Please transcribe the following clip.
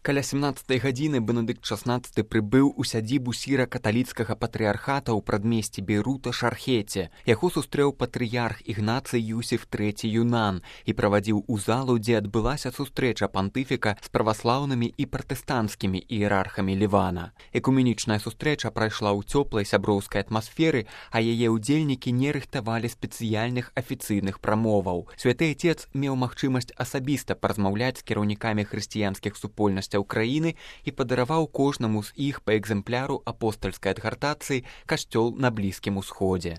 Каля 17 гадзіны Бенедыкт XVI прыбыў у сядзібу сіра-каталіцкага патрыярхата ў прадмесці Бейрута Шархеце. Яго сустрэў патрыярх Ігнацый Юсеф III Юнан і правадзіў у залу, дзе адбылася сустрэча пантыфіка з праваслаўнымі і пратэстанцкімі іерархамі Лівана. Экуменічная сустрэча прайшла ў цёплай сяброўскай атмасферы, а яе ўдзельнікі не рыхтавалі спецыяльных афіцыйных прамоваў. Святы Отец меў магчымасць асабіста паразмаўляць з кіраўнікамі хрысціянскіх супольнасцяў краіны і падараваў кожнаму з іх па экземпляру апостальскай адгартацыі «Касцёл на Блізкім Усходзе».